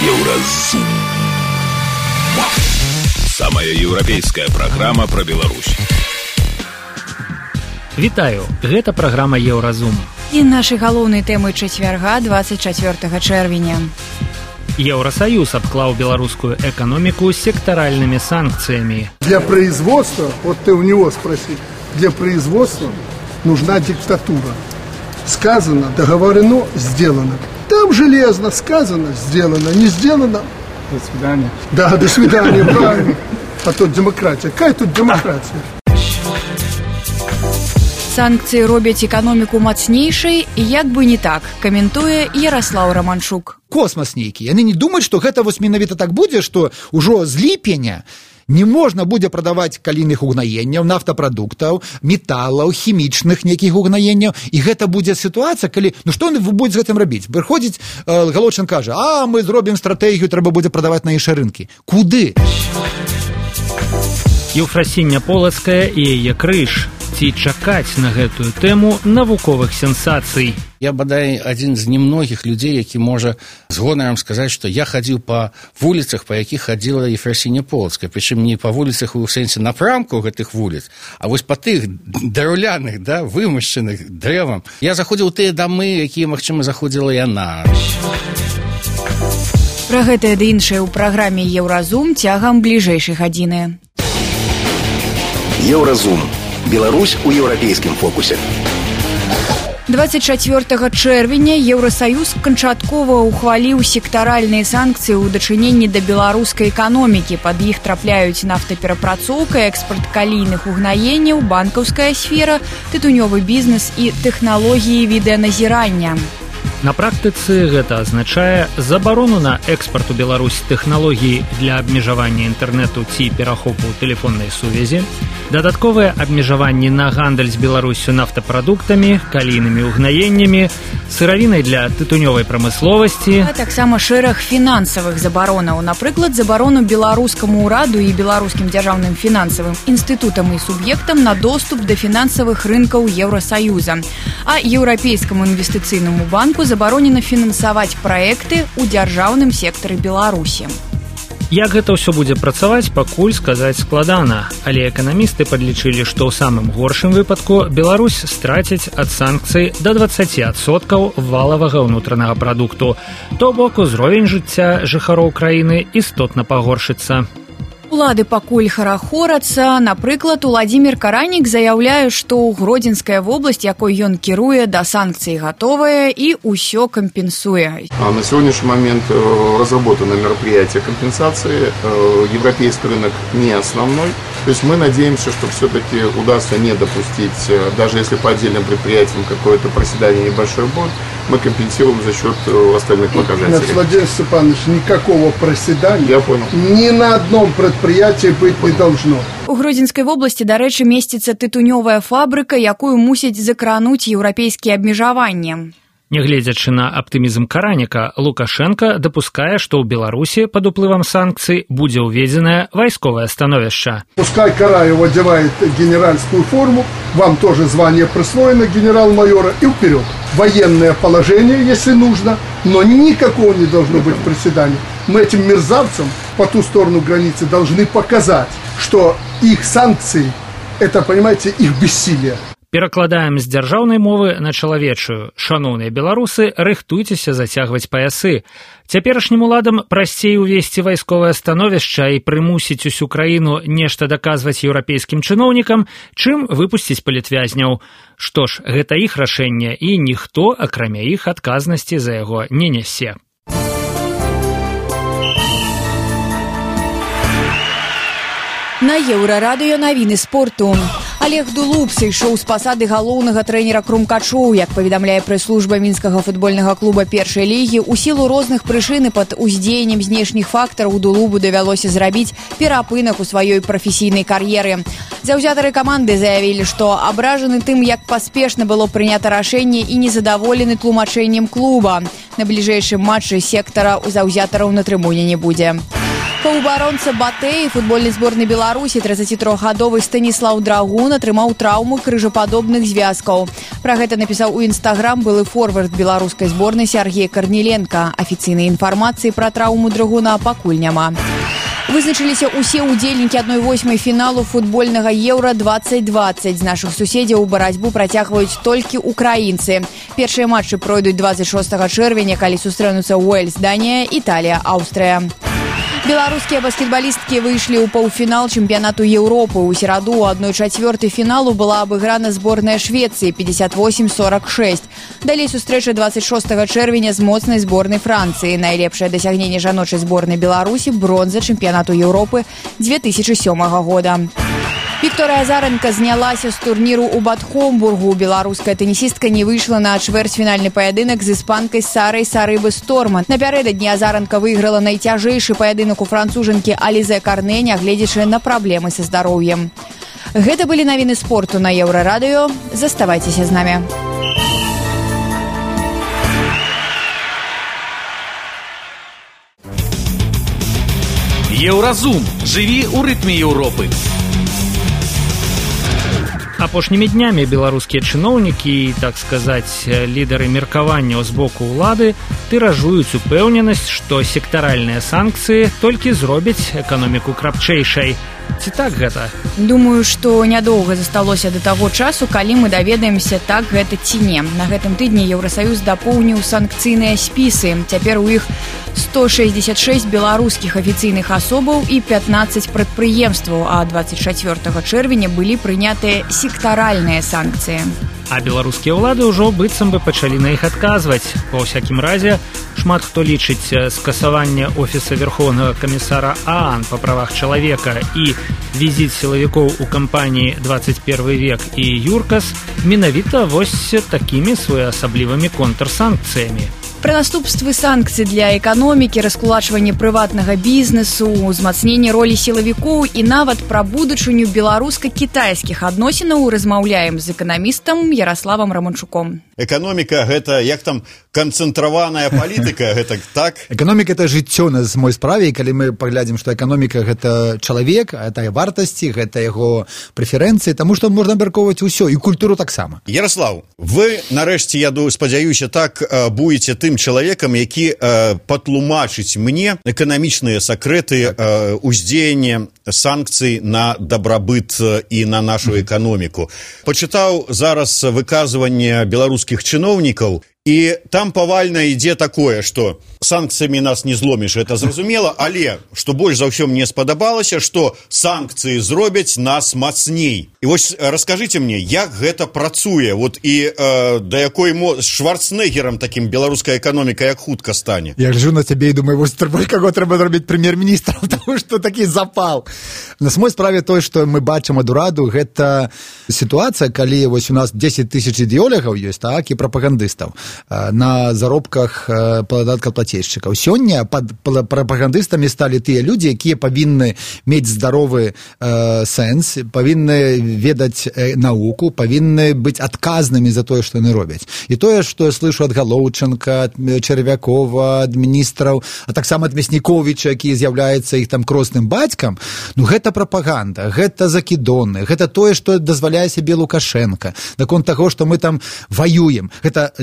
Еўразум. Самая еўрапейская праграма пра Беларусь. Вітаю, гэта праграма Еўразум. І нашы галоўныя тэмы чацвярга 24 чэрвеня. Еўросоюз обклаў беларускую экономику секторальными санкциями. Для производства, вот ты у него спроси, для производства нужна диктатура. Сказано, договорено, сделано. Там железно, сказано, сделано, не сделано. До свидания. Да, до свидания, правильно. А тут демократия. Какая тут демократия? Санкцыі робяць эканоміку мацнейшай, як бы не так, каментуе Ярослаў Романчук. Космас нейкі. Яны не думаюць, што гэта вось менавіта так будзе, што ўжо з ліпеня не можна будзе прадаваць калійных угнаенняў, нафтапрадуктаў, металаў, хімічных нейкіх угнаенняў. І гэта будзе сітуацыя, калі... Ну што вы будзе з гэтым рабіць? Прыходзіць Галочын кажа, мы зробім стратэгію, трэба будзе прадаваць на іншыя рынкі. Куды? Еўфрасіння Полацкая і яе крыж. Ці чакаць на гэтую тэму навуковых сенсацый. Я, бадай, адзін з немногіх людзей, які можа з гонарам сказаць, што я хадзіў па вуліцах, па якіх хадзіла Еўфрасіння Полацкая. Прычым не па вуліцах у сэнсе напрамку гэтых вуліц, а вось па тых драўляных, вымашчаных дрэвам. Я заходзіў у тыя дамы, якія, магчыма, заходзіла яна. Пра гэтае ды іншае ў праграме Еўразум цягам бліжэйшай гадзіны. Еўразум. Беларусь у еўрапейскім фокусе. 24 чэрвеня Еўросоюз канчаткова ухваліў сектаральныя санкцыі ў дачыненні да беларускай эканомікі. Пад іх трапляюць нафтаперапрацоўка, экспарт калійных угнаенняў, банкаўская сфера, тытунёвы бізнес і тэхналогіі відэаназірання. На практыцы гэта азначае забарону на экспарт у Беларусь тэхналогій для абмежавання інтэрнэту ці перахопу тэлефоннай сувязі, дадатковыя абмежаванні на гандаль з Беларусю нафтапрадуктамі, калійнымі угнаеннямі, сыравінай для тытунёвай прамысловасці, а таксама шэраг фінансавых забаронаў, напрыклад, забарону беларускаму ўраду і беларускім дзяржаўным фінансавым інстытутам і суб'ектам на доступ да фінансавых рынкаў Еўросаюза, а еўрапейскаму інвестыцыйнаму банку забаронена фінансаваць праекты ў дзяржаўным сектары Беларусі. Як гэта ўсё будзе працаваць, пакуль сказаць складана, але эканамісты падлічылі, што ў самым горшым выпадку Беларусь страціць ад санкцый да 20% валавага ўнутранага прадукту, то бок узровень жыцця жыхароў краіны істотна пагоршыцца. Улады пакуль харахорацца. Напрыклад, Уладзімір Каранік заяўляе, што Гродзенская вобласць, якой ён кіруе, да санкцый гатовая і ўсё кампенсуе. На сегодняшний момент разработано мероприятие компенсации. Европейский рынок не основной. То есть мы надеемся, что все-таки удастся не допустить, даже если по отдельным предприятиям какое-то проседание, небольшой бон, мы компенсируем за счет остальных показателей. Нет, Владимир Степанович, никакого проседания. Я понял. Ни на одном предприятии быть не должно. У Гродзенскай вобласці, дарэчы, месціцца тытунёвая фабрыка, якую мусяць закрануць еўрапейскія абмежаванні. Нягледзячы на аптымізм Караніка, Лукашенко дапускае, што ў Беларусі пад уплывам санкцый будзе ўведзенае вайсковае становішча. Пускай Караев одевает генеральскую форму, вам тоже звание присвоено генерал-майора, и вперед. Военное положение, если нужно, но никакого не должно быть проседания. Мы этим мерзавцам по ту сторону границы должны показать, что их санкции, это, понимаете, их бессилие. Перакладаем з дзяржаўнай мовы на чалавечую. Шаноўныя беларусы, рыхтуйцеся зацягваць паясы. Цяперашнім уладам прасцей увесці вайсковае становішча і прымусіць усю краіну нешта даказваць еўрапейскім чыноўнікам, чым выпусціць палітвязняў. Што ж, гэта іх рашэнне, і ніхто, акрамя іх, адказнасці за яго не нясе. На Еўрарадыё навіны спорту. Олег Дулуб сышоў з пасады галоўнага трэнера Крумкачоў. Як паведамляе прэс-служба мінскага футбольнага клуба першай лігі, у сілу розных прычын і пад уздзеяннем знешніх фактараў Дулубу давялося зрабіць перапынак у сваёй прафесійнай кар'еры. Заўзятары каманды заявілі, што абражаны тым, як паспешна было прынята рашэнне і незадаволены тлумачэннем клуба. На бліжэйшым матчы сектара у заўзятараў на трыбуне не будзе. Паўабаронца Батэй футбольнай зборнай Беларусі 33-гадовы Станіслаў Драгун атрымаў траўму крыжападобных звязкаў. Пра гэта напісаў у Інстаграм былы форвард беларускай зборнай Сергей Карніленка. Афіцыйнай інфармацыі пра траўму Драгуна пакуль няма. Вызначыліся ўсе ўдзельнікі 1/8 фіналу футбольнага Еўра-2020. З нашых суседзяў барацьбу працягваюць толькі украінцы. Першыя матчы пройдуць 26 чэрвеня, калі сустрэнуцца Уэльс, Данія, Італія, Аўстрыя. Беларускія баскетбалісткі выйшлі ў паўфінал чэмпіянату Еўропы. У сераду у 1/4 фіналу была абыграна зборная Швецыі 58-46. Далей сустрэча 26 чэрвеня з моцнай зборнай Францыі. Найлепшае дасягненне жаночай зборнай Беларусі – бронза чэмпіянату Еўропы 2007 года. Вікторыя Азаренка знялася з турніру ў Бад-Хомбургу. Беларуская тэнісістка не выйшла на чвэрцьфінальны паядынак з іспанкай Сарай Сарыбы-Сторман. Напярэдадні Азаранка выйграла найцяжэйшы паядынак у францужанкі Алізе Карнэ, нягледзячы на праблемы са здароўем. Гэта былі навіны спорту на Еўрарадыё. Заставайцеся з намі. Еўразум. Жыві ў рытме Еўропы. Апошнімі днямі беларускія чыноўнікі і, так сказаць, лідары меркаванняў з боку ўлады тыражуюць упэўненасць, што сектаральныя санкцыі толькі зробяць эканоміку крапчэйшай. Ці так гэта? Думаю, што нядоўга засталося да таго часу, калі мы даведаемся, так гэта ці не. На гэтым тыдні Еўрасаюз дапоўніў санкцыйныя спісы. Цяпер у іх 166 беларускіх афіцыйных асобаў і 15 прадпрыемстваў, а 24 чэрвеня былі прынятыя сектаральныя санкцыі. А беларускія ўлады ўжо быццам бы пачалі на іх адказваць. Па ўсякім разе, шмат хто лічыць скасаванне офіса Верховнага камісара ААН па правах чалавека і візіт сілавікоў у кампаніі 21 век і ЮРКАС менавіта вось такімі своеасаблівымі контрсанкцыямі. Пра наступствы санкцый для эканомікі, раскулачванне прыватнага бізнесу, узмацненне ролі сілавікоў і нават пра будучыню беларуска-кітайскіх адносінаў размаўляем з эканамістам Ярославам Раманчуком. Эканоміка – гэта, як там, канцэнтраваная палітыка, гэта так? Эканоміка – это жыццё на мой справе, і калі мы паглядзім, што эканоміка – гэта чалавек, гэта вартасці, гэта яго прэферэнцыі, таму што можна абмяркоўваць усё, і культуру таксама. Ярослав, вы, нарэшце, я спадзяюся, так будете тым чалавекам, які патлумачыць мне эканамічныя сакрэты ўздзеяння санкцый на дабрабыт і на нашу эканоміку. Пачытаў зараз выказванне беларускіх чыноўнікаў, і там павальна ідзе такое, што санкцыямі нас не зломіш, это зразумела, але, што больш за ўсё мне спадабалася, што санкцыі зробяць нас мацней. І вось раскажыце мне, як гэта працуе, вот і да якой Шварценеггерам такім беларуская эканоміка як хутка стане? Я гляджу на цябе і думаю, вось каго трэба зрабіць прэм'ер-міністрам, таму што такі запал. На самой справе той, што мы бачым ад ураду, гэта сітуацыя, калі вось у нас 10 тысяч ідэолягаў ёсць, так, і прапагандыстаў на заробках падаткаплацельшчыкаў. Сёння прапагандыстамі сталі тыя людзі, якія павінны мець здаровы сэнс, павінны ведаць навуку, павінны быць адказнымі за тое, што яны робяць. І тое, што я слышу ад Галоўчанка, ад Чарвякова, ад міністраў, а таксама ад Мясніковіча, які з'яўляецца іх там кросным бацькам, ну гэта прапаганда, гэта закідоны, гэта тое, што дазваляе сябе Лукашенко. Наконт таго, што мы там ваюем. Гэта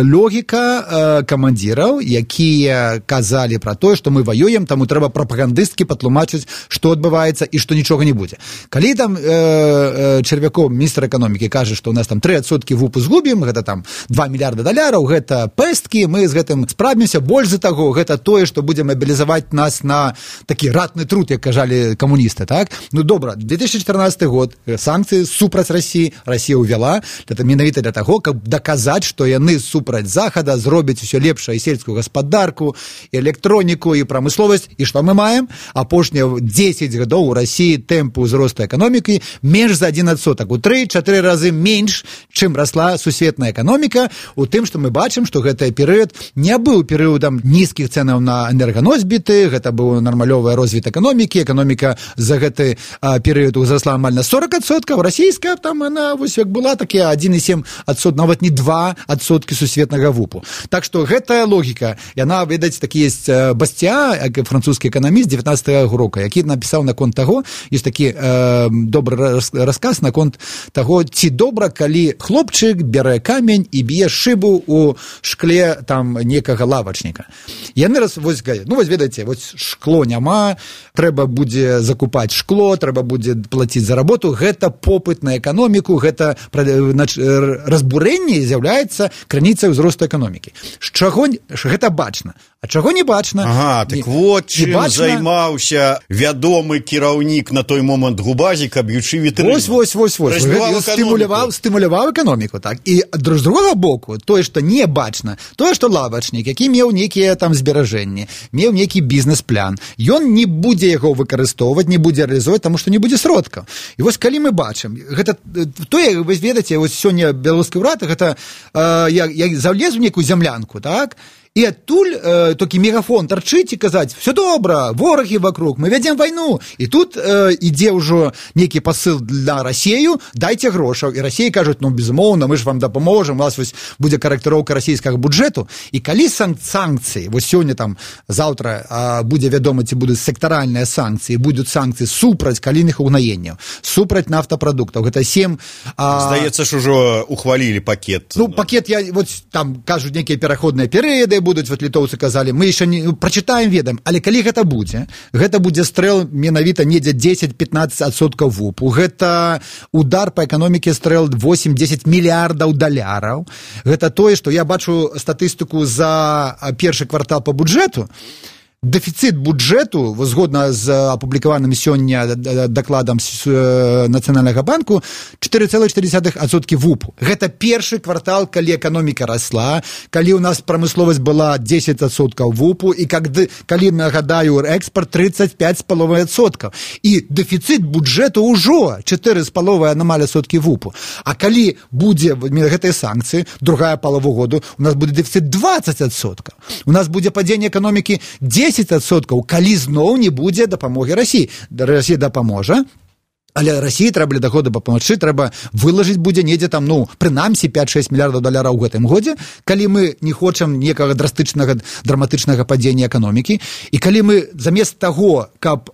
логіка камандзіраў, якія казалі пра тое, што мы ваюем, таму трэба прапагандысткі патлумачыць, што адбываецца і што нічога не будзе. Калі там Чарвяков, міністр эканомікі, кажа, што у нас там 3% ВУПу згубім, гэта там 2 мільярда даляраў, гэта пэсткі, мы з гэтым справімся, больш за таго, гэта тое, што будзе мабілізаваць нас на такі ратны труд, як кажалі камуністы, так? Ну добра, 2014 год, санкцыі супраць Расіі, Расія ўвяла, гэта менавіта для таго, каб даказаць, што яны супраць захада зробяць усё лепшае і сельскую гаспадарку, і электроніку, і прамысловасць. І што мы маем? Апошнія 10 гадоў у Расіі тэмпы ўзросту эканомікі менш за 1%. У 3-4 разы менш, чым расла сусветная эканоміка, у тым, што мы бачым, што гэты перыяд не быў перыядам нізкіх цэнаў на энерганосьбіты, гэта быў нармалёвы розвіт эканомікі, эканоміка за гэты перыяд узрасла амаль на 40%, расійская там, она, вось як была, такія 1,7%, нават не 2% сусветная сусветнага ВУПу. Так што гэтая логіка, яна, ведаць, такі есть Бастиа, французскі эканаміст 19-го року, які напісаў наконт таго, ёсць такі добры расказ наконт таго, ці добра, калі хлопчык бярэ камень і б'е шыбу у шкле там некага лавачніка. Яны вось ведаеце, вось шкло няма, трэба будзе закупаць шкло, трэба будзе плаціць за работу, гэта попыт на эканоміку, гэта разбурэнне з'яўляецца крыніцай узросту эканомікі. З чаго гэта бачна? А чаго не бачна? Ага, так вот чым займаўся вядомы кіраўнік на той момант Губазіка, б'ючы вітрыну. Вось. Стымуляваў эканоміку, так. І з другога боку, тое, што не бачна, тое, што лавачнік, які меў нейкія там зберажэнні, меў нейкі бізнес-план, ён не будзе яго выкарыстоўваць, не будзе рэалізоваць, таму што не будзе сродкаў. І вось калі мы бачым, гэта тое, вы ведаеце, вось сёння беларускі ўрад, гэта я залез у нейкую зямлянку, так? І адтуль толькі мегафон тарчыць і казаць, все добра, ворагі вокруг, мы вядзем вайну. І тут ідзе ўжо нейкі пасыл для Расею, дайце грошаў. І Расея кажуць, безумоўна, мы ж вам дапаможам, у вас вось будзе карэктыроўка расійскага бюджэту. І калі санкцыі, вось сёння там, заўтра будзе вядома, ці будуць сектаральныя санкцыі, будуць санкцыі супраць калійных угнаенняў, супраць нафтапрадуктаў, гэта 7... Здаецца ж, ужо ухвалілі пакет. Пакет, там кажуць нейкія пераходныя перыяды, будуць, вот літоўцы казалі, мы яшчэ не прачытаем, ведаем, але калі гэта будзе стрэл менавіта недзе 10-15% ВУПу, гэта удар па эканоміке стрэл 8-10 мільярдаў даляраў, гэта тое, што я бачу статыстыку за першы квартал па бюджэту, дэфіцыт бюджэту, згодна з апублікаваным сёння дакладам Нацыянальнага банку, 4,4% ВУПу. Гэта першы квартал, калі эканоміка расла, калі ў нас прамысловасць была 10% ВУПу, і калі, нагадаю, экспорт 35,5%. І дэфіцыт бюджэту ўжо 4,5% ВУПу. А калі будзе гэтыя санкцыі, другая палова году, у нас будзе дэфіцыт 20%. У нас будзе падзенне эканомікі 10%, калі зноў не будзе дапамогі Расіі. Расія дапаможа, але Расіі трэба для таго дапамагчы, трэба вылажыць будзе недзе там, прынамсі 5-6 мільярдаў даляраў у гэтым годзе, калі мы не хочам некага драматычнага падзення эканомікі, і калі мы замест таго, каб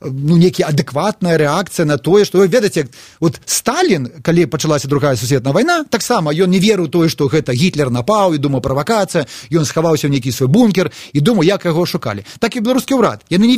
нейкая адэкватная рэакцыя на тое, што вы ведаеце, вот Сталін, калі пачалася другая сусветная вайна, таксама ён не верыў тое, што гэта Гітлер напаў, і думаў правакацыя, ён схаваўся ў нейкі свой бункер, і думаў, як яго шукалі. Так і беларускі ўрад. Яны не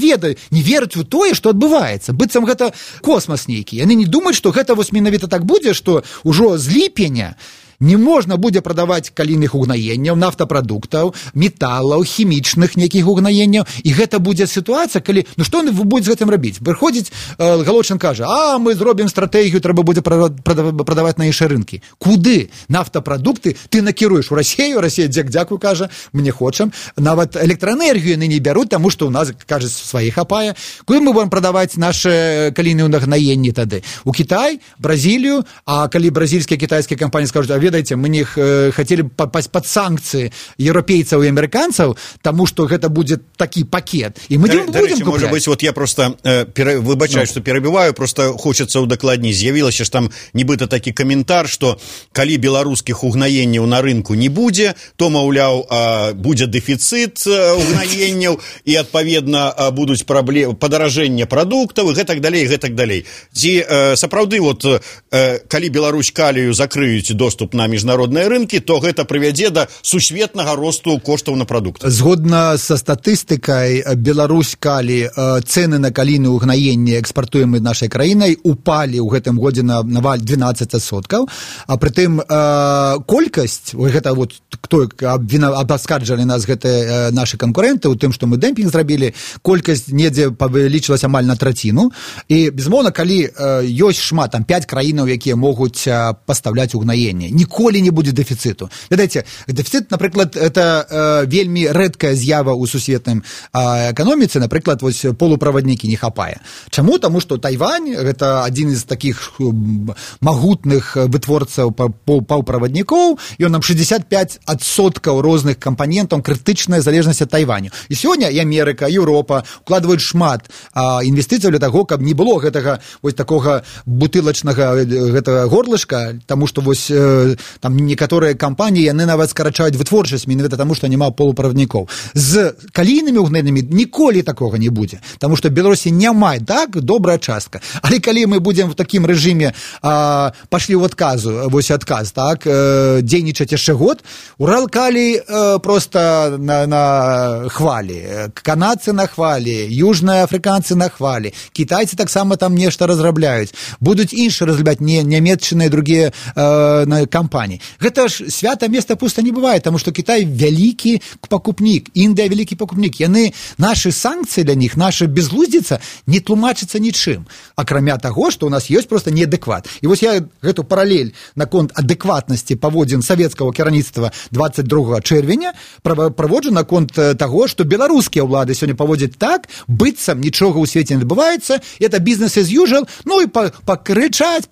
вераць у тое, што адбываецца. Быццам гэта космас нейкі. Яны не думаюць, што гэта вось менавіта так будзе, што ўжо з ліпеня не можна будзе прадаваць калійных угнаенняў, нафтапрадуктаў, металаў, хімічных нейкіх угнаенняў, і гэта будзе сітуацыя, калі, што вы будзе з гэтым рабіць? Прыходзіць, Галочын кажа, мы зробім стратэгію, трэба будзе прадаваць на іншыя рынкі. Куды? Нафтапрадукты ты накіруеш у Расею, Расея дзякуй, кажа, мы не хочам. Нават электраэнергію яны не бяруць, таму што ў нас, кажа, сваіх хапае. Куды мы будем прадаваць нашы калійныя угнаенні тады? У Кітай, Бразілію, а калі бразільскія, кітайскія кампаніі скажуць, ведаеце, мы не хацелі папасть под санкцыі еўрапейцаў і амерыканцаў, таму што гэта будзе такі пакет. І мы не будем купляць. Можа быць, вот я просто выбачаю, што перабіваю, просто хочацца удакладніць. З'явілася ж там нібыта такі каментар, што калі беларускіх угнаенняў на рынку не будзе, то, маўляў, будзе дэфіцыт угнаенняў, і, адпаведна, будуць падаражэнне прадуктаў, і гэтак далей. Ці сапраўды, вот, калі Беларусь калію закрыюць доступ на міжнародныя рынкі, то гэта прывядзе да сусветнага росту коштаў на прадукты. Згодна са статыстыкай, Беларусь калі цэны на калійныя угнаенні экспартуемыя нашай краінай упалі ў гэтым годзе на 12%, а прытым колькасць, гэта вот хто абаскарджалі нас гэтыя нашы канкурэнты ў тым, што мы дэмпінг зрабілі, колькасць недзе павялічылася амаль на траціну, і безумоўна, калі ёсць шмат, там 5 краінаў, якія могуць пастаўляць угнаенне, ніколі не будзе дэфіцыту. Ведаеце, дэфіцыт, напрыклад, это вельмі рэдкая з'ява ў сусветным эканоміцы, напрыклад, вось полуправаднікі не хапае. Чаму? Таму што Тайвань, гэта адзін з такіх магутных вытворцаў паўправаднікоў, ён нам 65% розных кампанентаў, крытычная залежнасць ад Тайваню. І сёння і Амерыка, і Еўропа укладваюць шмат інвестыцыяў для таго, каб не было гэтага вось такога бутылачнага гэтага горлышка, таму што вось там некаторыя кампаніі яны нават скарачаюць вытворчасць менавіта таму, што няма полуправаднікоў. З калійнымі угненнымі ніколі такога не будзе, таму што Беларусі няма так добрая частка. Але калі мы будзем в такім рэжыме пашлі ў адказ, так, дзейнічаць яшчэ год, Уралкалій просто на хвалі, канадцы на хвалі, южныя афрыканцы на хвалі, кітайцы таксама там нешта разрабляюць, будуць іншыя разрабляць, не нямецчыныя другія кампаніі. Гэта ж свята места пуста не бывае, таму што Кітай вялікі пакупнік, Індыя вялікі пакупнік. Яны, нашы санкцыі для них, наша безглуздзіца не тлумачыцца нічым, акрамя таго, што ў нас ёсць просто неадэкват. І вось я гэту паралель наконт адэкватнасці паводзін савецкага кіраўніцтва 22 чэрвеня праводжу наконт таго, што беларускія ўлады сёння паводзяць так, быццам нічога ў свеце не адбываецца, это business as usual, ну і пакрычаць,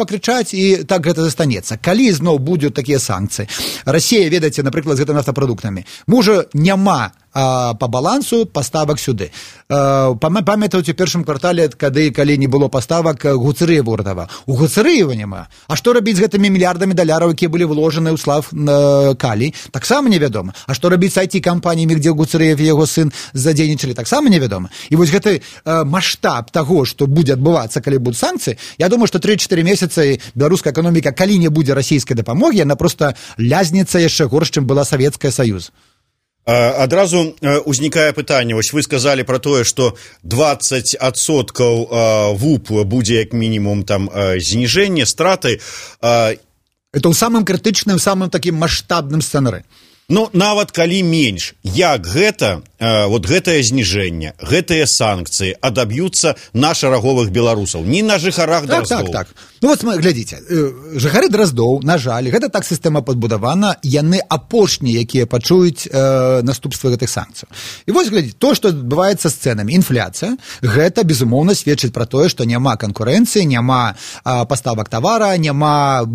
і так гэта застанецца. Калі зноў будуць такія санкцыі, Расія, ведаеце, напрыклад, з гэтымі нафтапрадуктамі, можа няма по балансу паставак сюды. Памятаюць у першым квартале, калі не было паставак Гуцерыева ўратаваў. У Гуцерыева няма. А што рабіць з гэтымі мільярдамі даляраў, якія былі вложаны ў слав калій? Таксама невядома. А што рабіць з IT-кампаніямі, дзе Гуцерыев і яго сын задзейнічалі? Таксама невядома. І вось гэты маштаб таго, што будзе адбывацца, калі будуць санкцыі, я думаю, што 3-4 месяцы беларуская эканоміка, калі не будзе расійскай дапамогі, яна проста лязнецца яшчэ горш, чым была Савецкая Саюз. Адразу узнікае пытанне, вось вы сказалі пра тое, што 20% ВУП будзе як мінімум там зніжэнне, страты. Это ў самым крытычным, самым такім маштабным сцэнары. Ну, нават калі менш, як гэта, вот гэтае зніжэнне, гэтыя санкцыі адаб'юцца на шараговых беларусаў, не на жыхарах Драздоў. Так. Ну, вот глядзіце, жыхары Драздоў, на жаль, гэта так сістэма падбудавана, яны апошнія, якія пачуюць наступствы гэтых санкцый. І вось, глядзіце, то, што адбываецца з цэнамі, інфляцыя, гэта, безумоўна, сведчыць пра тое, што няма канкурэнцыі, няма паставак тавара, няма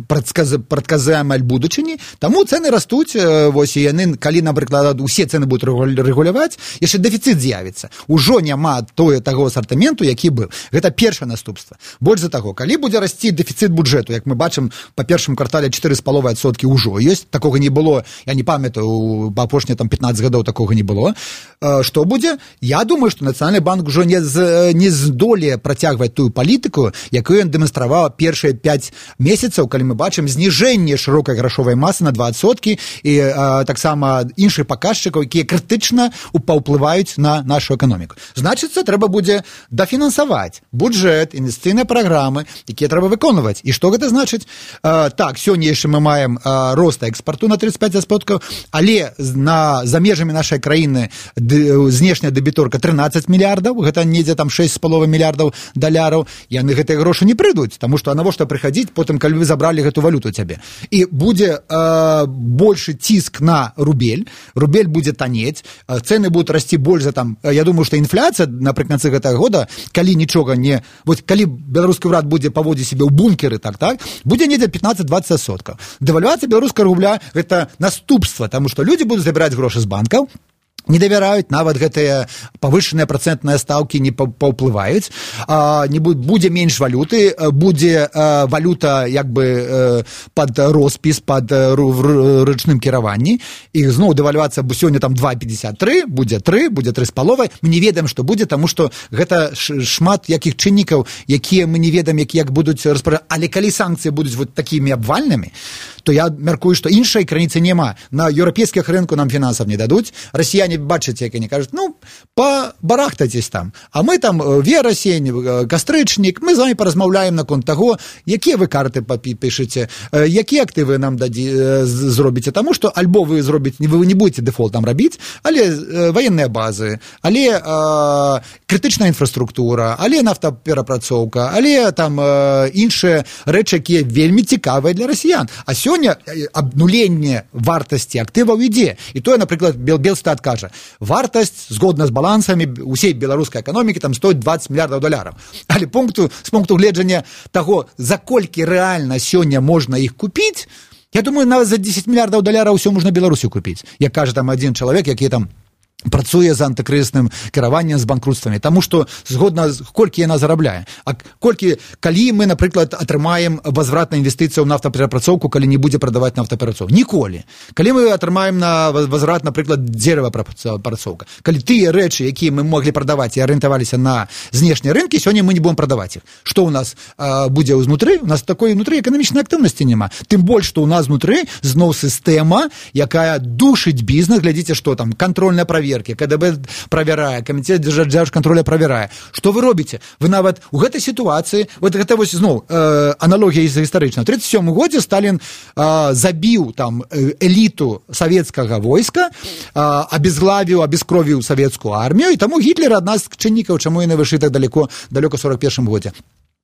прадказаемай будучыні, таму цэны растуць. Вось, і яны, калі, напрыклад, усе цэны будуць рэгуляваць, яшчэ дэфіцыт з'явіцца. Ужо няма таго асартаменту, які быў. Гэта першае наступства. Больш за таго, калі будзе расці дэфіцыт бюджэту, як мы бачым, па першым квартале 4,5% ўжо ёсць, такога не было, я не памятаю, па апошнія 15 гадоў такога не было. Што будзе? Я думаю, што Нацыянальны банк ужо не здолее працягваць тую палітыку, якую ён дэманстраваў першыя 5 месяцаў, калі мы бачым зніжэнне шырокай грашовай масы на 20%, і таксама іншых паказчыкаў, якія крытычна паўплываюць на нашу эканоміку. Значыцца, трэба будзе дафінансаваць бюджэт, інвестыцыйныя праграмы, якія трэба выконваць. І што гэта значыць? Так, сёння яшчэ мы маем рост экспарту на 35%, але за межамі нашай краіны знешняя дэбіторка 13 мільярдаў, гэта недзе там 6,5 мільярдаў даляраў, яны гэтыя грошы не прыйдуць, таму што навошта прыхадзіць потым, калі вы забралі гэту валюту цябе. І будзе больше ціск на рубель будзе танець, цэны будуць расці больш за там, я думаю, што інфляцыя напрыканцы гэтага года, калі нічога не, вот калі беларускі ўрад будзе паводзіць сябе ў бункеры, так, будзе недзе 15-20%. Дэвальвацыя беларускага рубля гэта наступства, таму што людзі будуць забіраць грошы з банкаў, не давяраюць, нават гэтыя павышаныя працэнтныя стаўкі не паўплываюць, будзе менш валюты, будзе валюта як бы пад роспіс, пад ручным кіраванні, і зноў дэвальвацыя сёння там 2,53, будзе 3, будзе 3,5, мы не ведаем, што будзе, таму што гэта шмат якіх чыннікаў, якія мы не ведаем, як будуць распараджаць, але калі санкцыі будуць вот такімі абвальнымі, то я мяркую, што іншай граніцы няма. На еўрапейскіх рынку нам фінансаў не дадуць, расіяне бачыце, як они кажуць, ну, побарахтайтесь там, а мы там верасень, кастрычнік, мы з вами паразмаўляем наконт таго, якія вы карты пішыце, якія актывы нам зробіце, таму што альбо вы зробіце, вы не будете дэфолт там рабіць, але военныя базы, але крытычная інфраструктура, але нафтаперапрацоўка, але там іншыя рэчы, якія вельмі цікавыя для расіян. А сёння абнуленне вартасці актываў ідзе. І тое, напрыклад, Белстат кажа, вартасць, згодна з балансамі усей беларускай эканомікі, там стоіць 20 мільярдаў даляраў. Але з пункту гледжання таго, за колькі рэальна сёння можна іх купіць, я думаю, нават за 10 мільярдаў даляраў ўсё можна Беларусю купіць. Як кажа там адзін чалавек, які там працуе з антыкрызісным кіраваннем з банкрутствамі, таму што згодна колькі яна зарабляе, а калі мы, напрыклад, атрымаем возврат на інвестыцыю ў нафтаперапрацоўку, калі не будзе прадаваць нафтаперапрацоўку, ніколі. Калі мы атрымаем на возврат, напрыклад, дзеравапрацоўка, калі тыя рэчы, якія мы маглі прадаваць і арыентаваліся на знешнія рынкі, сёння мы не будем прадаваць іх. Што ў нас будзе ўзнутры? У нас такой унутры эканамічнай актыўнасці няма. Тым больш, што ў нас знутры зноў сістэма, якая душыць бізнес, глядзіце, што там кантрольная праверка, КДБ правярае, камітэт дзяржкантроля правярае. Што вы робіце? Вы нават у гэтай сітуацыі, вот гэта вось зноў аналогія гістарычная. У 1937 годзе Сталін забіў там эліту савецкага войска, абезглавіў, абескровіў савецкую армію, і таму Гітлер адна з чыннікаў, чаму яны выйшлі так далёка 41 годзе.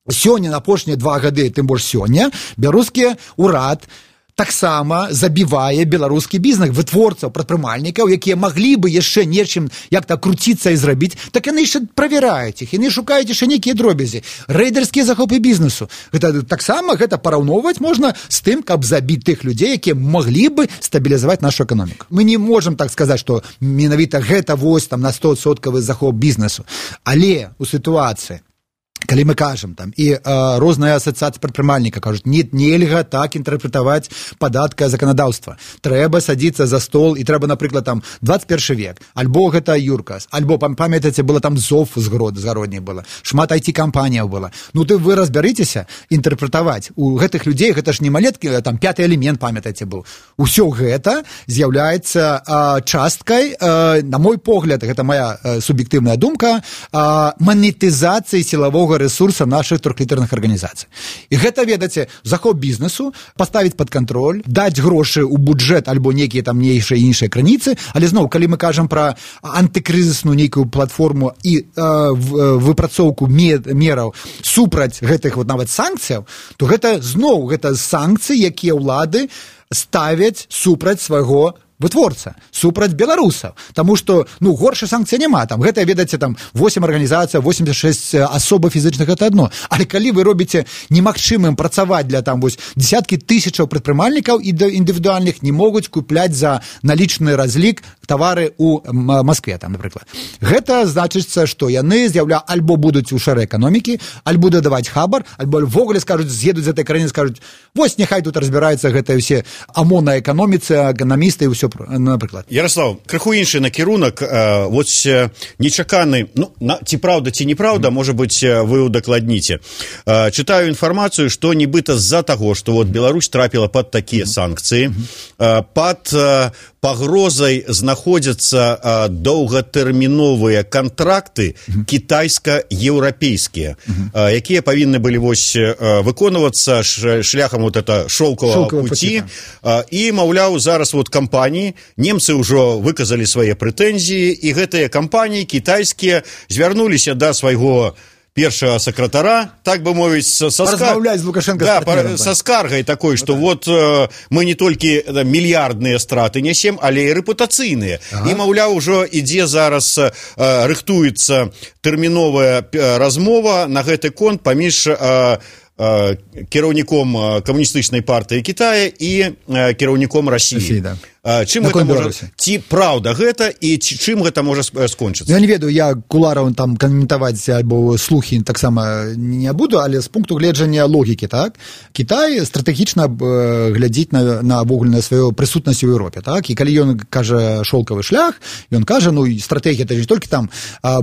Сёння, на апошнія 2 гады, тым больш сёння, беларускі ўрад таксама забівае беларускі бізнес, вытворцаў, прадпрымальнікаў, якія маглі бы яшчэ нечым як-то круціцца і зрабіць, так яны яшчэ правяраюць іх, яны шукаюць яшчэ нейкія дробязі. Рэйдерскія захопы бізнесу. Гэта таксама гэта параўноўваць можна з тым, каб забіць тых людзей, якія маглі бы стабілізаваць нашу эканоміку. Мы не можам так сказаць, што менавіта гэта вось там на 100% захоп бізнесу. Але у сітуацыі, калі мы кажам там, і розныя асацыяцыі прадпрымальніка кажуць, нельга так інтэрпрэтаваць падаткае заканадаўства. Трэба садзіцца за стол, і трэба, напрыклад, там 21 век, альбо гэта Юркас, альбо, памятаеце, было там ЗОВ з гародняй было, шмат IT-кампаніяў было. Ну, вы разбярыцеся інтэрпрэтаваць. У гэтых людзей, гэта ж не малеткі, там 5-й элемент, памятаеце, быў. Усё гэта з'яўляецца часткай, на мой погляд, гэта моя суб'ектыўная думка, манетызацыі сілавога ресурса наших трохлітарных арганізацый. І гэта, ведаце, захоп бізнесу, паставіць пад кантроль, даць грошы ў бюджэт альбо нейкія там іншыя крыніцы, але зноў, калі мы кажам пра антыкрызісную нейкую платформу і выпрацоўку мераў супраць гэтых вот нават санкцыяў, то гэта зноў, гэта санкцыі, якія ўлады ставяць супраць свайго вытворца, супраць беларусаў. Таму што, горшай санкцыі няма. Там гэта, ведаце, там 8 арганізацый, 86 асобы фізічных, гэта адно. Але калі вы робіце немагчымым працаваць для там вось десяткі тысячаў прадпрымальнікаў і індывідуальных не могуць купляць за налічны разлік тавары ў Маскве, там, напрыклад. Гэта значыцца, што яны альбо будуць у шэрай эканомікі, альбо дадаваць хабар, альбо ввогуле скажуць, з'едуць з гэтай краіны, скажуць, вось няхай тут разбіраюцца гэтыя ўсе ОМОН на эканоміцы, эканамісты і ўсё, напрыклад. Ярослав, крыху іншы накірунак, вось нечаканы, ці праўда, ці неправда, можа быць, вы удакладніце. Чытаю інфармацыю, што нібыта з-за таго, што вот Беларусь трапіла пад такія санкцыі, пад пагрозай знаходзяцца доўгатэрміновыя кантракты кітайска-еўрапейскія, якія павінны былі вось выконвацца шляхам вот это шоўкавага пуці, і, маўляў, зараз вот кампаніі, немцы ўжо выказалі свае прэтэнзіі, і гэтыя кампаніі кітайскія звярнуліся да свайго першага сакратара, так бы мовіць, са скаргай такой, што вот мы не толькі мільярдныя страты нясем, але і рэпутацыйныя. І, маўляў, ужо ідзе зараз, рыхтуецца тэрміновая размова на гэты конт паміж кіраўніком камуністычнай партыі Кітая і кіраўніком Расіі. Чым гэта можа, ці праўда гэта і чым гэта можа скончыцца? Я не ведаю, я кулараў там каментаваць альбо слухі таксама не буду, але з пункту гледжання логікі, так? Кітай стратэгічна глядзіць на вогульную сваю прысутнасць у Еўропе, так? І калі ён кажа шоўкавы шлях, ён кажа, стратэгія это не толькі там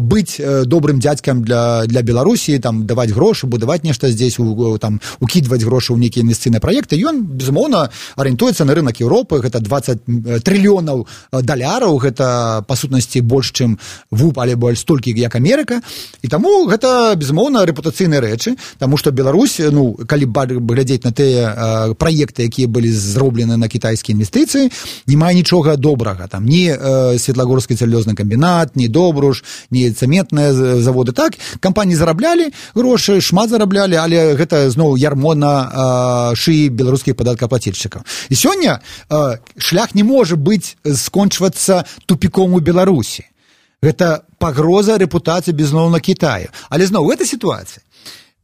быць добрым дзядзькам для Беларусі, там даваць грошы, будаваць нешта здесь, там укідваць грошы ў нейкія інвестыцыйныя праекты, ён безумоўна арыентуецца на рынок Еўропы, гэта 20 трыльёнаў даляраў, гэта па сутнасці больш, чым ВУП, але больш столькі, як Амерыка, і таму гэта безумоўна рэпутацыйныя рэчы, таму што Беларусь, калі глядзець на тыя праекты, якія былі зроблены на кітайскія інвестыцыі, не мае нічога добрага, там ні Светлагорскі цэлюлёзны камбінат, ні Добруш, ні цэментныя заводы, так, кампаніі зараблялі грошы, шмат зараблялі, але гэта зноў ярмо на шыі беларускіх падаткаплацільшчыкаў. І сёння шлях не можа быць скончвацца тупіком у Беларусі. Гэта пагроза рэпутацыі безумоўна Кітаю. Але зноў, гэта сітуацыя.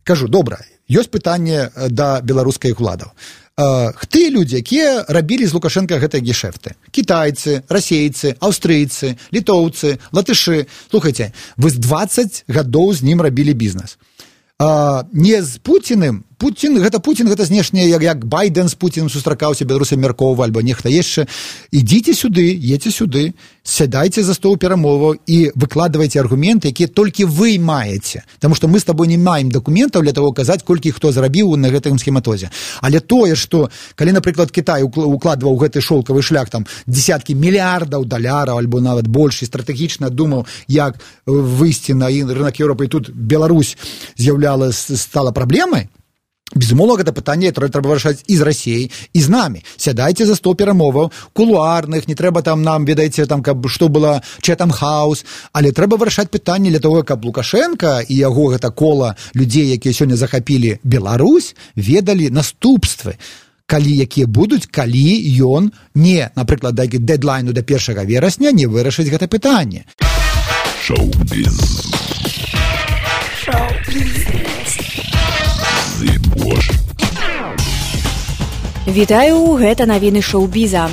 Кажу, добра, ёсць пытанне да беларускіх уладаў. Ты людзі, якія рабілі з Лукашенко гэтыя гешэфты. Кітайцы, расейцы, аўстрыйцы, літоўцы, латышы. Слухайце, вы з 20 гадоў з ім рабілі бізнес. Не з Пуціным. Путін гэта знешне, як Байден з Пуціным сустракаўся, беларусы мяркоўвалі, альбо нехта яшчэ. Ідзіце сюды, едьце сюды, сядайце за стол перамоваў і выкладвайце аргументы, якія толькі вы маеце. Таму што мы з табой не маем дакументаў для того казаць, колькі хто зарабіў на гэтым схематозе. Але тое, што калі, напрыклад, Кітай укладваў гэты шолкавы шлях там десяткі мільярдаў даляраў, альбо нават больш, і стратэгічна думаў, як выйсці на рынок Еўропы, і тут Беларусь стала праблемай, безумоўна, гэта пытанне трэба вырашаць і з Расіяй, і з намі. Сядайце за стол перамоваў, кулуарных, не трэба там нам, ведаеце, там, каб што было Чэтэм хаус, але трэба вырашаць пытанне для того, каб Лукашенко і яго гэта кола людзей, якія сёння захапілі Беларусь, ведалі наступствы, якія будуць, калі ён не, напрыклад, да дэдлайну да 1 верасня не вырашыць гэта пытанне. Шоу-біз. Вітаю, гэта навіны шоу-біза.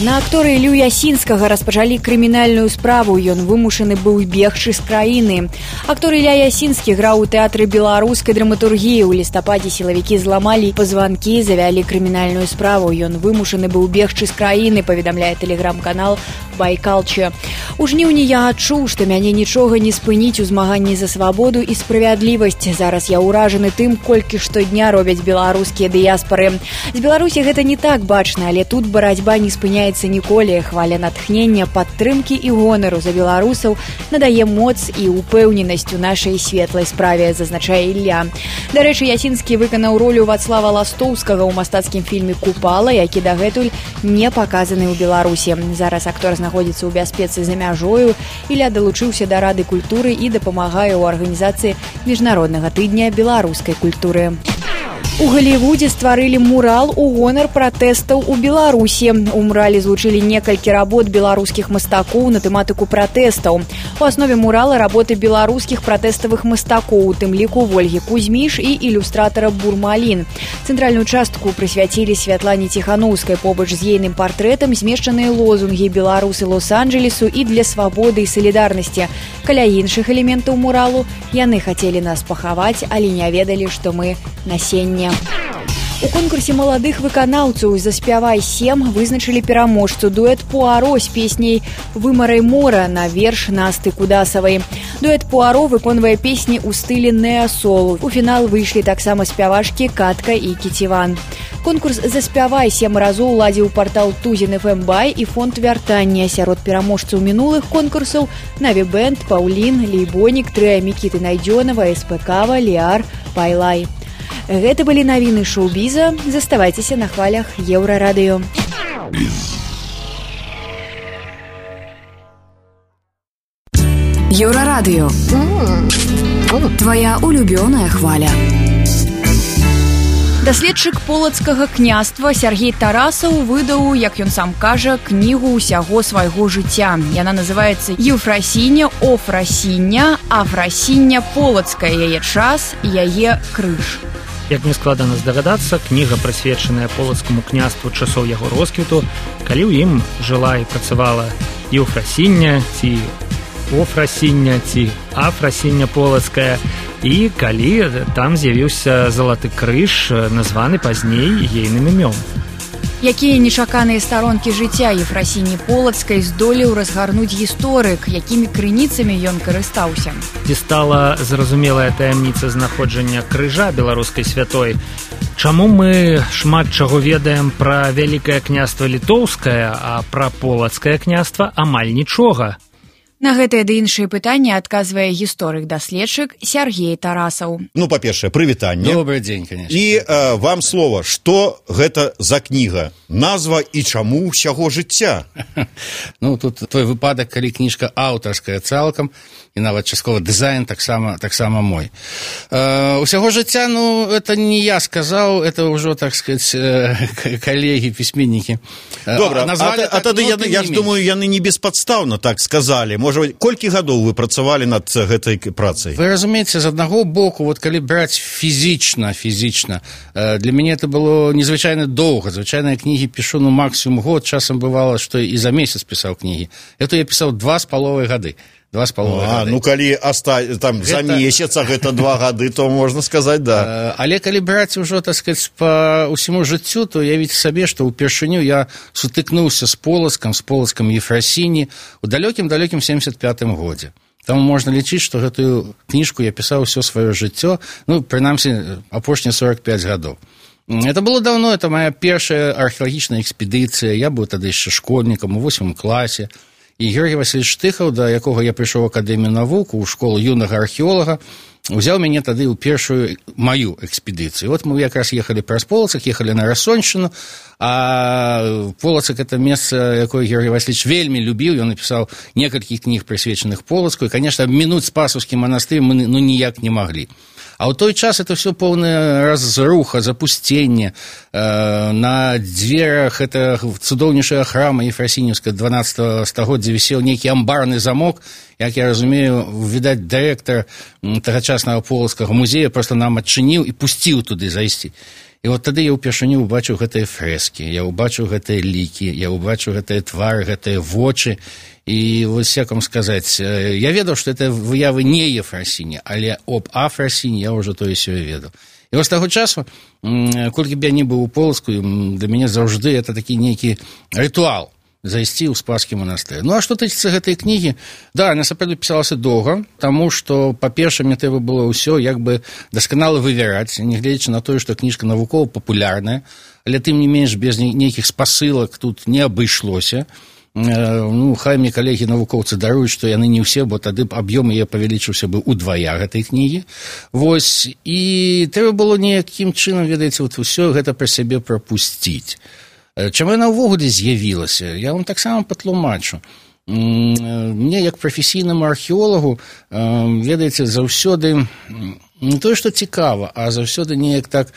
На актора Ілью Ясінскага распачалі крымінальную справу, ён вымушаны быў бегчы з краіны. Актор Ілля Ясінскі граў у тэатры беларускай драматургіі. У лістападзе сілавікі зламалі пазванкі, завялі крымінальную справу. Ён вымушаны быў бегчы з краіны, паведамляе тэлеграм-канал Байкалча. У жніўні я адчуў, што мяне нічога не спыніць у змаганні за свабоду і справядлівасць. Зараз я ўражаны тым, колькі штодня робяць беларускія дыяспары. З Беларусі гэта не так бачна, але тут барацьба не спыняецца ніколі. Хваля натхнення, падтрымкі і гонару за беларусаў надае моц і упэўненасць у нашай светлай справе, зазначае Ілля. Дарэчы, Ясінскі выканаў ролю Вацлава Ластоўскага ў мастацкім фільме «Купала», які дагэтуль не паказаны ў Беларусі. Зараз актор знаходзіцца ў бяспецы за мяжою. Ілля далучыўся да Рады культуры і дапамагае ў арганізацыі міжнароднага тыдня беларускай культуры. У Галівудзе стварылі мурал у гонар пратэстаў у Беларусі. У мурале злучылі некалькі работ беларускіх мастакоў на тэматыку пратэстаў. У аснове мурала работы беларускіх пратэставых мастакоў, у тым ліку Вольгі Кузьміш і ілюстратара Бурмалін. Цэнтральную частку прысвяцілі Святлане Ціханаўскай. Побач з ейным партрэтам змешчаныя лозунгі «Беларусы Лос-Анджелесу» і «Для свабоды і салідарнасці». Каля іншых элементаў муралу яны хацелі нас пахаваць, але не ведалі, што мы насенне. У конкурсе маладых выканаўцаў «Заспявай 7» вызначылі пераможцу дуэт Пуаро з песняй «Вымарай мора» на верш Насты Кудасавай. Дуэт Пуаро выконвае песні ў стылі неасол. У фінал выйшлі таксама спявачкі Катка і Кіціван. Конкурс «Заспявай 7» разоў ладзіў партал Тузін FM Бай і фонд вяртання. Сярод пераможцаў мінулых конкурсаў Наві Бэнд, Паўлін, Лейбонік, трыа Мікіты Найдзёнава, СПКава, Ліар, Пайлай. Гэта былі навіны шоу-біза. Заставайцеся на хвалях Еўрарадыё. Еўрарадыё. Твая улюбёная хваля. Даследчык полацкага княства Сяргей Тарасаў выдаў, як ён сам кажа, кнігу ўсяго свайго жыцця. Яна называецца «Еўфрасіня, Офрасіня, Афрасіня полацкая, яе час і яе крыж». Як не складана здагадацца, кніга прысвечаная полацкаму княству часоў яго росквіту, калі ў ім жыла і працавала Еўфрасіня ці Офрасіня ці Афрасіня полацкая, і калі там з'явіўся залаты крыж, названы пазней ейным імём. Якія нечаканыя старонкі жыцця Ефрасіні Полацкай здолеў разгарнуць гісторык, якімі крыніцамі ён карыстаўся. Ці стала зразумелая таямніца знаходжання крыжа беларускай святой? Чаму мы шмат чаго ведаем пра вялікае княства літоўскае, а пра полацкае княства амаль нічога? На гэтае ды іншыя пытанні адказвае гісторык-даследчык Сяргей Тарасаў. Ну, па-першае, прывітанне. Добрый дзень, конечно. І вам слова, што гэта за кніга? Назва і чаму ўсяго жыцця? Ну, тут той выпадак, калі кніжка аўтарская цалкам, і нават часткова дызайн таксама мой. Усяго жыцця, ну, это не я сказаў, это ўжо, так сказать, калегі, пісьменнікі. Добра, а тады, я ж думаю, яны не беспадстаўна так сказалі. можа быць, колькі гадоў вы працавалі над гэтай працай? Вы разумееце, з аднаго боку, вот калі браць фізічна, для мяне это было незвычайна доўга. Звычайна кнігі пішу, ну, максимум год, часам бывало, што і за месяц пісаў кнігі. Это я пісаў 2,5 гады. 2,5 гады. Ну, калі там за месяц, а гэта 2 гады, то можна сказаць, да. Але калі браць ужо, так сказаць, па ўсяму жыццю, то уявіце сабе, што ўпершыню я сутыкнуўся з Полацкам Ефрасіні у далёкім 75-м годзе. Таму можна лічыць, што гэтую кніжку я пісаў усё сваё жыццё, ну, прынамсі, апошнія 45 гадоў. Это было давно, это моя першая археалагічная экспедыцыя, я быў тады яшчэ школьнікам у 8 класе. І Георгій Васильевич Штыхаў, да якога я прыйшоў у Акадэмію навук, у школу юнага археолага, узяў мяне тады ў першую маю экспедыцыю. Вот мы якраз ехалі праз Полацак, ехалі на Рассоншчыну, а Полацак — это месца, якое Георгій Васильевич вельмі любіў, ён напісаў некалькі кніг, прысвечаных Полацку, і, конечно, абмінуць Спасаўскі манастыр мы ніяк не маглі. А ў той час это все поўная разруха, запусценне. На дверах это цудоўнейшая храма Ефрасінівская 12 стагоддзя вісеў нейкі амбарны замок. Як я разумею, відаць, дырэктар тагачаснага Полацкага музея просто нам адчыніў і пусціў туды зайсці. І вот тады я ўпершыню убачыў гэтыя фрэскі, я убачыў гэтыя лікі, я убачыў гэтыя твары, гэтыя вочы. І вось як вам сказаць, я ведаў, што это выявы не Ефрасіні, але об Афрасіні я ўжо тое сёе ведаў. І вось таго часу, колькі б я не быў у Полацку, для мяне заўжды это такі нейкі рытуал зайсці ў Спаскі манастыр. Ну, а што тычыцца гэтай кнігі? Да, яна сапраўды пісалася доўга, таму што, па-першае, мне трэба было ўсё як бы дасканала вывяраць, нягледзячы на тое, што кніжка навукова-папулярная, але тым не менш без нейкіх спасылак тут не абышлося. Ну, хай мне калегі-навукоўцы даруюць, што яны не ўсе, бо тады аб'ём яе павялічыўся бы ўдвая гэтай кнігі. Вось, і трэба было неякім чынам, ведаеце, вот усё гэта пра сябе прапусціць. Чаму яна ўвогуле з'явілася? Я вам таксама патлумачу. Мне, як прафесійнаму археолагу, ведаеце, заўсёды не тое, што цікава, а заўсёды неяк так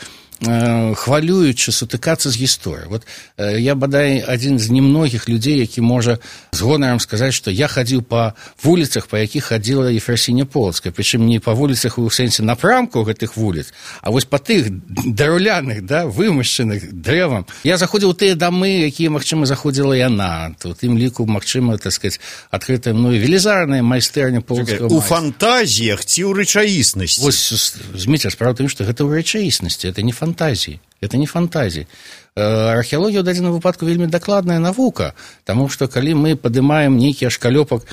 хвалюючы сутыкацца з гісторыяй. Вот я, бадай, адзін з немногіх людзей, які можа з гонарам сказаць, што я хадзіў па вуліцах, па якіх хадзіла Ефрасіня Полацкая, прычым не па вуліцах у сэнсе напрамку гэтых вуліц, а вось па тых драўляных, да, вымашчаных дрэвам. Я заходзіў у тыя дамы, якія, магчыма, заходзіла яна. У тым ліку, магчыма, так сказаць, адкрытая мною велізарная майстэрня полацкага майстра. У фантазіях ці ў рэчаіснасці? Вось, зміце, справа ў тым, што гэта ў рэчаіснасці, это не фантазии. Это не фантазии. Археалогія ў дадзеным выпадку вельмі дакладная навука, таму што калі мы падымаем нейкі ашкалёпак,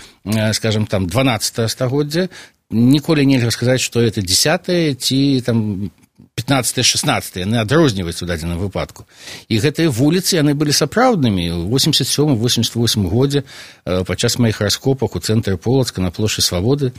скажем, там 12 стагоддзя, ніколі нельга сказаць, што это 10 ці там 15-16, яны адрозніваюцца ў дадзеным выпадку. І гэтыя вуліцы, яны былі сапраўднымі. У 87-88 годзе падчас маіх раскопак у цэнтры Полацка на плошчы Свабоды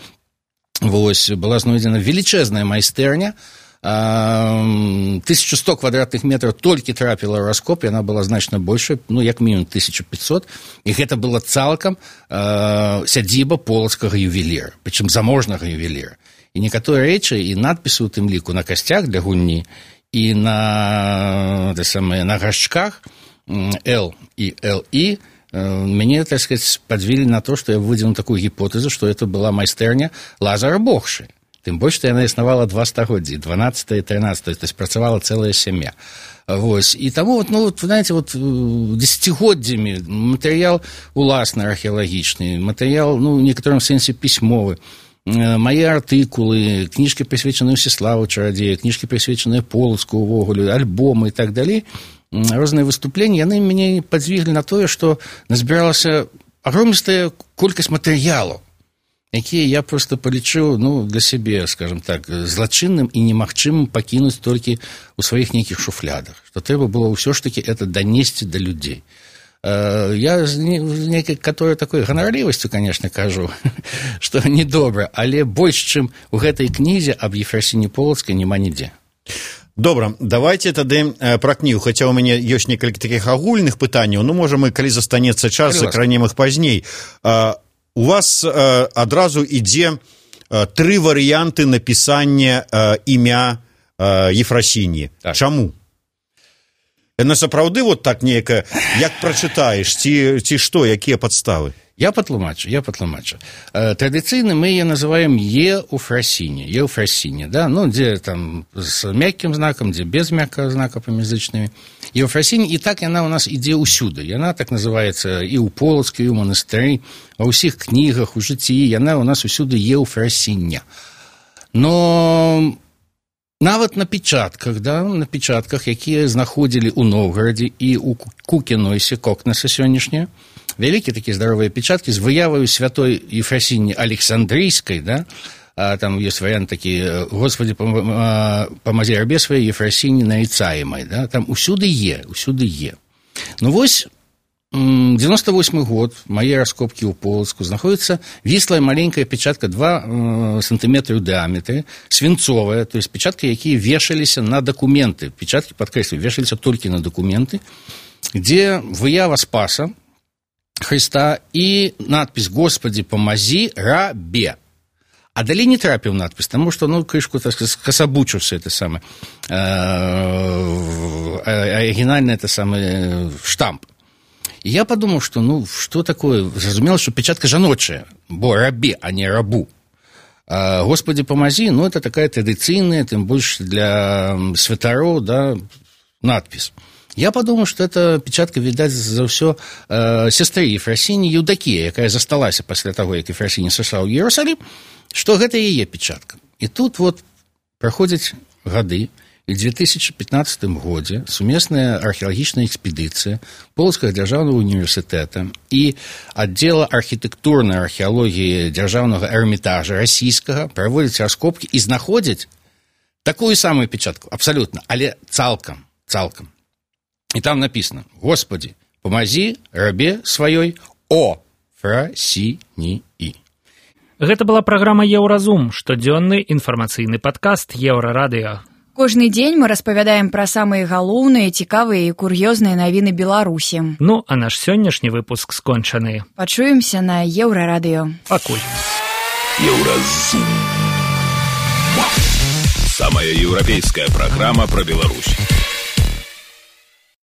вось была знойдзена велічэзная майстэрня. 1100 квадратных метров толькі трапіла ў раскоп, яна была значна большая, ну, як мінімум 1500, і гэта была цалкам сядзіба полацкага ювеліра, прычым заможнага ювеліра. І некаторыя рэчы і надпісы ў тым ліку на касцях для гульні і на гаршчках L і LI мяне, так сказаць, падвілі на то, што я выдзеў такую гіпотэзу, што это была майстэрня Лазара Богшы. Тым больш, што яна існавала 2 стагоддзі, 12 і 13, то есть працавала цэлая сям'я. Вось. І таму, вот, ну, вот, знаете, вот, десятигоддзямі матэрыял уласны археалагічны, матэрыял, ну, в некаторым сэнсе пісьмовы, мае артыкулы, кніжкі, прысвечаныя Всеславу Чарадзею, кніжкі, прысвечаныя Полацку ўвогуле, альбомы і так далей, розныя выступленні, яны мяне падзвіглі на тое, што назбіралася агромністая колькасць матэрыялаў, якія я просто палічыў, ну, для сябе, скажем так, злачынным і немагчымым пакінуць толькі ў сваіх нейкіх шуфлядах, што трэба было ўсё ж такі это данесці да людзей. Я з нейкай, которая такой ганарлівасцю, конечно, кажу, што недобра, але больш, чым у гэтай кнізе аб Ефрасіні Полацкай няма нідзе. Добра, давайте тады пра кнігу, хаця ў мяне ёсць некалькі такіх агульных пытанняў, ну, можа, мы, калі застанецца час, закранем іх пазней. У вас адразу ідзе 3 варыянты напісання імя Ефрасіні. Так. Чаму? Яна сапраўды вот так нейкая, як прачытаеш, ці што, якія падставы? Я патлумачу. Традыцыйна мы яе называем еўфрасіне, да? Ну, дзе там з мяккім знакам, дзе без мяккага знака паміжзычнымі. Еўфрасіне, і так яна ў нас ідзе ўсюды. Яна так называецца і ў Полацку, і ў манастыры, ва ўсіх кнігах, у жыцці, яна ў нас усюды еўфрасіне. Но нават на печатках, якія знаходзілі ў Новгарадзе і ў Кукінойсе, Кокнеса сённяшняя, вялікія такія здаровыя печаткі з выяваю святой Ефрасіні Александрійскай, да? Там ёсць варыянт такі: Господи, памази рабе сваёй Ефрасіні нарицаемай, да? Там усюды е. Ну вось 98 год, мае раскопкі ў Полацку, знаходіцца віслая маленькая печатка 2 сантыметры ў дыаметры, свінцовая, то есть печаткі, якія вешаліся на дакументы. Печаткі, падкрэслю, вешаліся толькі на дакументы, дзе выява Спаса Христа і надпіс «Господи, помази рабе». А далей не трапіў надпіс, таму што, ну, крышку, так сказать, скасабучыўся это самае арыгінальны это самы штамп. І я падумаў, што, ну, што такое? Зразумела, што печатка жаночая, бо рабе, а не рабу. «Господи, помази», ну, это такая традыцыйная, тым больш для святароў, да, надпіс. Я подумал, что эта печатка, видать, за ўсё сестры Ефрасіні Еўдакія, якая засталася пасля таго, як Ефрасіні сышла ў Іерусалім, што гэта яе печатка. І тут вот праходзяць гады, і ў 2015 годзе сумесная археалагічная экспедыцыя Полацкага дзяржаўнага універсітэта і аддзела архітэктурнай археалогіі дзяржаўнага эрмітажа расійскага праводзяць раскопкі і знаходзяць такую самую печатку, абсалютна, але цалкам. И там написано: «Господи, помази рабе сваёй Ефрасіні». Гэта была праграма «Еўразум», штодзённы інфармацыйны падкаст Еўрарадыё. Кожны дзень мы распавядаем пра самыя галоўныя, цікавыя і кур'ёзныя навіны Беларусі. Ну, а наш сённяшні выпуск скончаны. Пачуемся на Еўрарадыё. Пакуль. Еўразум. Самая еўрапейская праграма пра Беларусь.